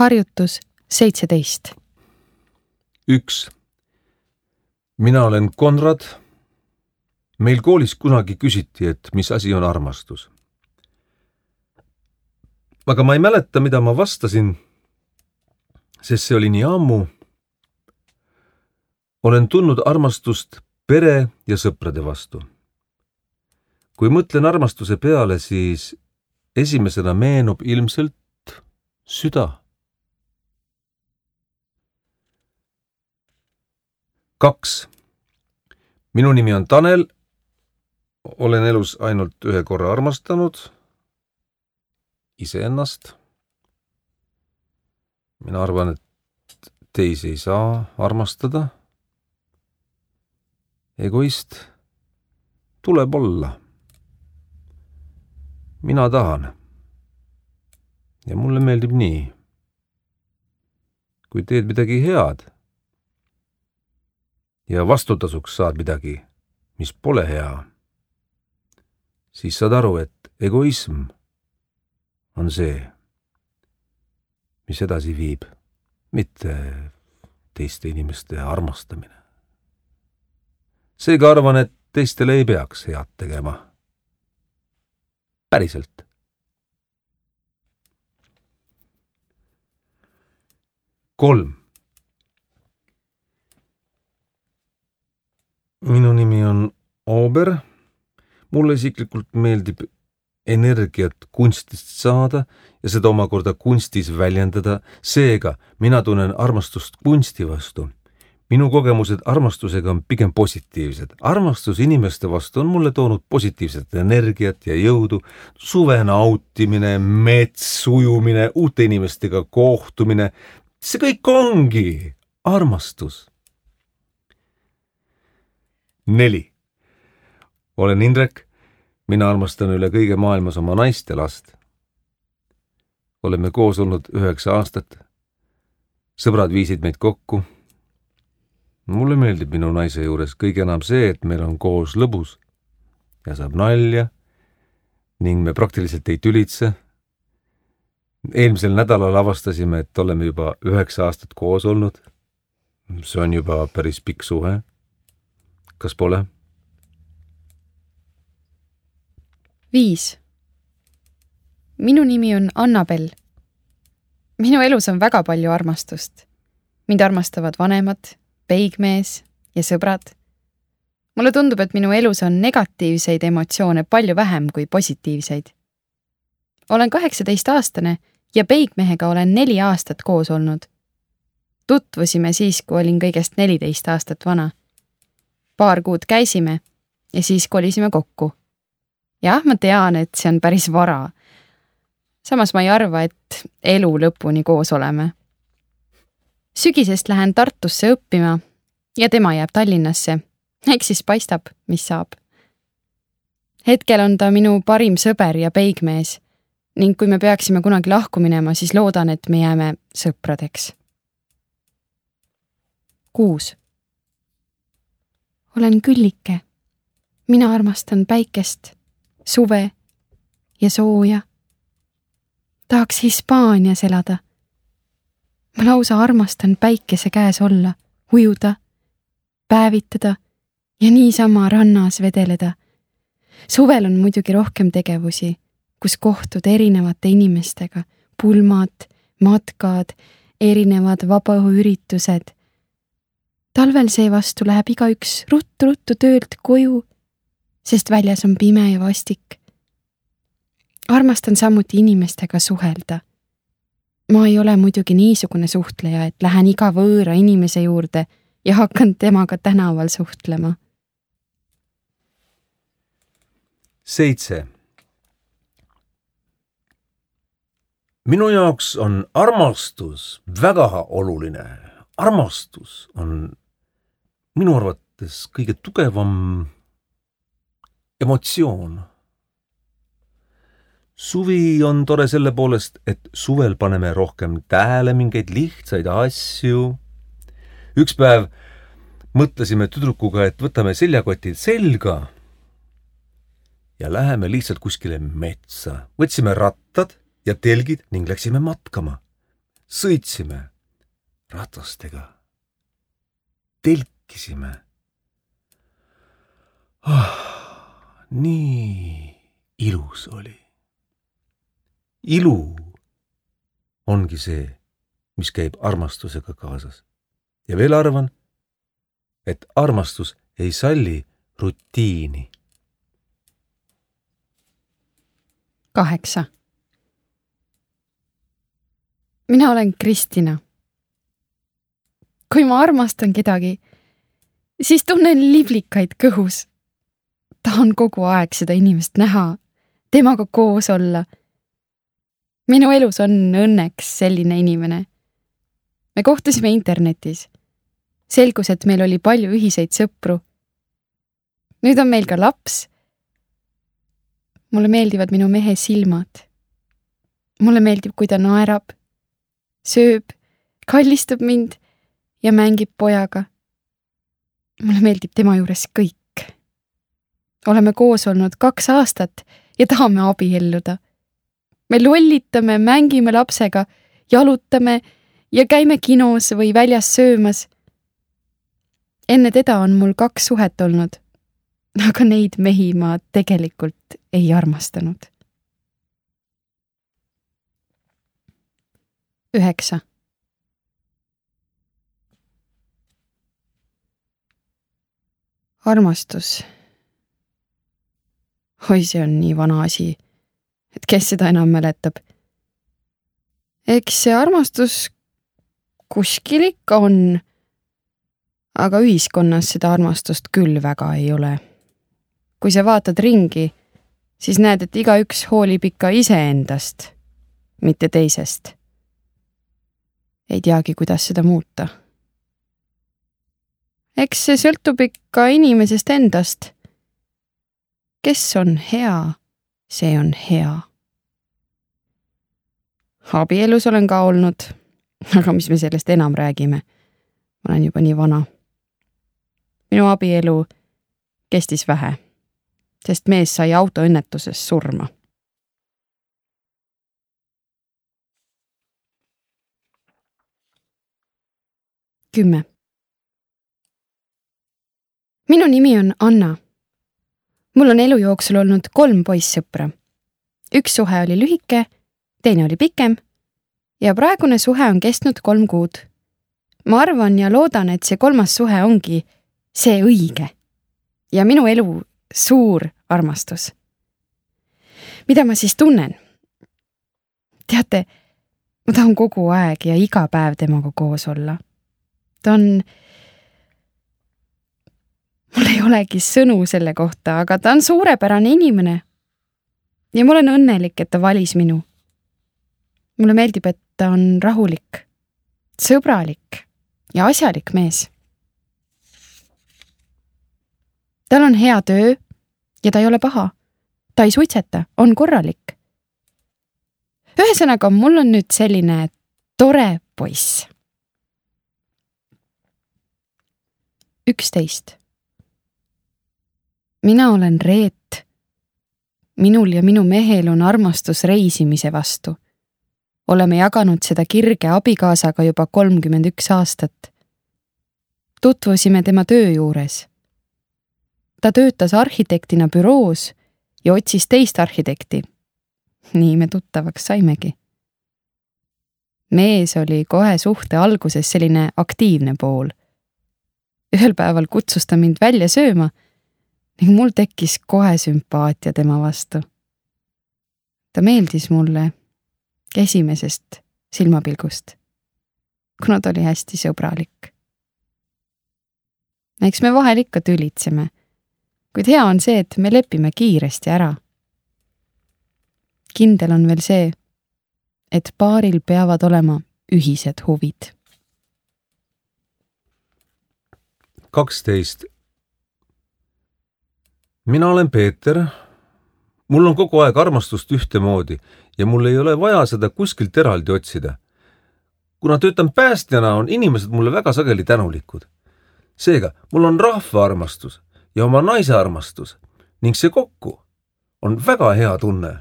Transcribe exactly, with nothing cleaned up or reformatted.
Harjutus seitseteist. üks. Mina olen Konrad. Meil koolis kunagi küsiti, et mis asi on armastus. Aga ma ei mäleta, mida ma vastasin, sest see oli nii ammu. Olen tundnud armastust pere ja sõprade vastu. Kui mõtlen armastuse peale, siis esimesena meenub ilmselt süda. kaks. Minu nimi on Tanel. Olen elus ainult ühe korra armastanud. Iseennast. Mina arvan, et teisi ei saa armastada. Egoist tuleb olla. Mina tahan. Ja mulle meeldib nii. Kui teed midagi head ja vastutasuks saad midagi, mis pole hea, siis saad aru, et egoism on see, mis edasi viib, mitte teiste inimeste armastamine. Seega arvan, et teistele ei peaks head tegema. Päriselt. kolm. Minu nimi on Oober. Mulle isiklikult meeldib energiat kunstist saada ja seda omakorda kunstis väljendada. Seega mina tunnen armastust kunsti vastu. Minu kogemused armastusega on pigem positiivsed. Armastus inimeste vastu on mulle toonud positiivset energiat ja jõudu. Suve nautimine, mets ujumine, uute inimestega kohtumine. See kõik ongi armastus. neli. Olen Indrek. Mina armastan üle kõige maailmas oma naist ja last. Oleme koos olnud üheksa aastat. Sõbrad viisid meid kokku. Mulle meeldib minu naise juures kõige enam see, et meil on koos lõbus ja saab nalja ning me praktiliselt ei tülitse. Eelmisel nädalal avastasime, et oleme juba üheksa aastat koos olnud. See on juba päris pikk suhe. Kas pole? viis. Minu nimi on Annabel. Minu elus on väga palju armastust. Mind armastavad vanemad, peigmees ja sõbrad. Mulle tundub, et minu elus on negatiivseid emotsioone palju vähem kui positiivseid. Olen kaheksateist aastane ja peigmehega olen neli aastat koos olnud. Tutvusime siis, kui olin kõigest neliteist aastat vana. Paar kuud käisime ja siis kolisime kokku. Jah, ma tean, et see on päris vara. Samas ma ei arva, et elu lõpuni koos oleme. Sügisest lähen Tartusse õppima ja tema jääb Tallinnasse. Eks siis paistab, mis saab. Hetkel on ta minu parim sõber ja peigmees ning kui me peaksime kunagi lahku minema, siis loodan, et me jääme sõpradeks. kuus. Olen Küllike. Mina armastan päikest, suve ja sooja. Tahaks Hispaanias elada. Ma lausa armastan päikese käes olla, ujuda, päevitada ja niisama rannas vedeleda. Suvel on muidugi rohkem tegevusi, kus kohtud erinevate inimestega, pulmad, matkad, erinevad vabaõhuüritused. Talvel seevastu läheb igaüks ruttu-ruttu töölt koju, sest väljas on pime ja vastik. Armastan samuti inimestega suhelda. Ma ei ole muidugi niisugune suhtleja, et lähen iga võõra inimese juurde ja hakkan temaga tänaval suhtlema. seitse. Minu jaoks on armastus väga oluline. Armastus on minu arvates kõige tugevam emotsioon. Suvi on tore selle poolest, et suvel paneme rohkem tähele mingeid lihtsaid asju. Üks päev mõtlesime tüdrukuga, et võtame seljakotid selga ja läheme lihtsalt kuskile metsa. Võtsime rattad ja telgid ning läksime matkama. sõitsime ratastega, telkisime. Ah, nii ilus oli. Ilu ongi see, mis käib armastusega kaasas. Ja veel arvan, et armastus ei salli rutiini. Kaheksa. Mina olen Kristina. Kui ma armastan kedagi, siis tunnen liblikaid kõhus. Tahan kogu aeg seda inimest näha, temaga koos olla. Minu elus on õnneks selline inimene. Me kohtusime internetis. Selgus, et meil oli palju ühiseid sõpru. Nüüd on meil ka laps. Mulle meeldivad minu mehe silmad. Mulle meeldib, kui ta naerab, sööb, kallistab mind ja mängib pojaga. Mulle meeldib tema juures kõik. Oleme koos olnud kaks aastat ja tahame abielluda. Me lollitame, mängime lapsega, jalutame ja käime kinos või väljas söömas. Enne teda on mul kaks suhet olnud, aga neid mehi ma tegelikult ei armastanud. Üheksa. Armastus. Oi, see on nii vana asi, et kes seda enam mäletab. Eks see armastus kuskil ikka on, aga ühiskonnas seda armastust küll väga ei ole. Kui sa vaatad ringi, siis näed, et igaüks hoolib ikka iseendast, mitte teisest. Ei teagi, kuidas seda muuta. Eks see sõltub ikka inimesest endast. Kes on hea, see on hea. Abielus olen ka olnud, aga mis me sellest enam räägime? Ma olen juba nii vana. Minu abielu kestis vähe, sest mees sai autoõnnetuses surma. Kümme. Minu nimi on Anna. Mul on elu jooksul olnud kolm poissõpra. Üks suhe oli lühike, teine oli pikem ja praegune suhe on kestnud kolm kuud. Ma arvan ja loodan, et see kolmas suhe ongi see õige ja minu elu suur armastus. Mida ma siis tunnen? Teate, ma tahan kogu aeg ja iga päev temaga koos olla. Ta on... Mul ei olegi sõnu selle kohta, aga ta on suurepärane inimene. Ja ma olen õnnelik, et ta valis minu. Mulle meeldib, et ta on rahulik, sõbralik ja asjalik mees. Tal on hea töö ja ta ei ole paha. Ta ei suitseta, on korralik. Ühesõnaga, mul on nüüd selline tore poiss. Üksteist. Mina olen Reet. Minul ja minu mehel on armastus reisimise vastu. Oleme jaganud seda kirge abikaasaga juba kolmkümmend üks aastat. Tutvusime tema töö juures. Ta töötas arhitektina büroos ja otsis teist arhitekti. Nii me tuttavaks saimegi. Mees oli kohe suhte alguses selline aktiivne pool. Ühel päeval kutsus ta mind välja sööma ning mul tekkis kohe sümpaatia tema vastu. Ta meeldis mulle esimesest silmapilgust, kuna ta oli hästi sõbralik. Eks me vahel ikka tülitseme, kuid hea on see, et me lepime kiiresti ära. Kindel on veel see, et paaril peavad olema ühised huvid. kaksteist. Mina olen Peeter. Mul on kogu aeg armastust ühtemoodi ja mul ei ole vaja seda kuskilt eraldi otsida. Kuna töötan päästjana, on inimesed mulle väga sageli tänulikud. Seega, mul on rahva armastus ja oma naise armastus ning see kokku on väga hea tunne.